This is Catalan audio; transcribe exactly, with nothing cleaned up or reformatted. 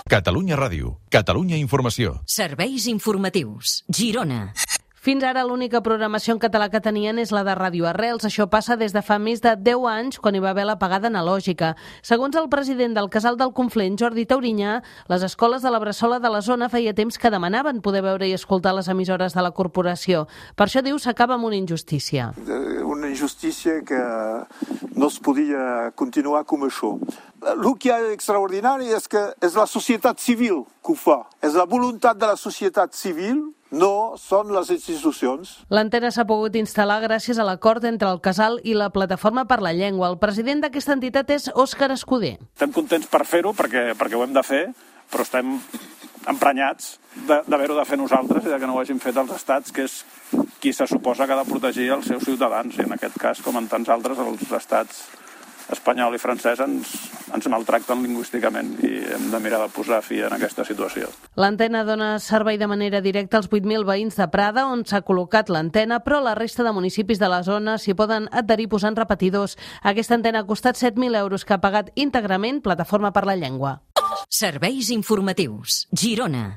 Catalunya Ràdio, Catalunya Informació. Serveis informatius. Girona. Fins ara l'única programació en català que tenien és la de Ràdio Arrels. Això passa des de fa més de deu anys, quan hi va haver l'apagada analògica. Segons el president del Casal del Conflent, Jordi Taurinyà, les escoles de la Bressola de la zona feia temps que demanaven poder veure i escoltar les emissores de la corporació. Per això, diu, s'acaba amb una injustícia. Una injustícia que no es podia continuar com això. El que és extraordinari és que és la societat civil que ho fa. És la voluntat de la societat civil, no són les institucions. L'antena s'ha pogut instal·lar gràcies a l'acord entre el Casal i la Plataforma per la Llengua. El president d'aquesta entitat és Òscar Escudé. Estem contents per fer-ho, perquè, perquè ho hem de fer, però estem emprenyats d'haver-ho de fer nosaltres i de que no ho hagin fet els estats, que és qui se suposa que ha de protegir els seus ciutadans. I en aquest cas, com en tants altres, els estats espanyol i francès ens, ens maltracten lingüísticament i hem de mirar de posar fi en aquesta situació. L'antena dona servei de manera directa als vuit mil veïns de Prada, on s'ha col·locat l'antena, però la resta de municipis de la zona s'hi poden adherir posant repetidors. Aquesta antena ha costat set mil euros, que ha pagat íntegrament Plataforma per la Llengua. Serveis informatius. Girona.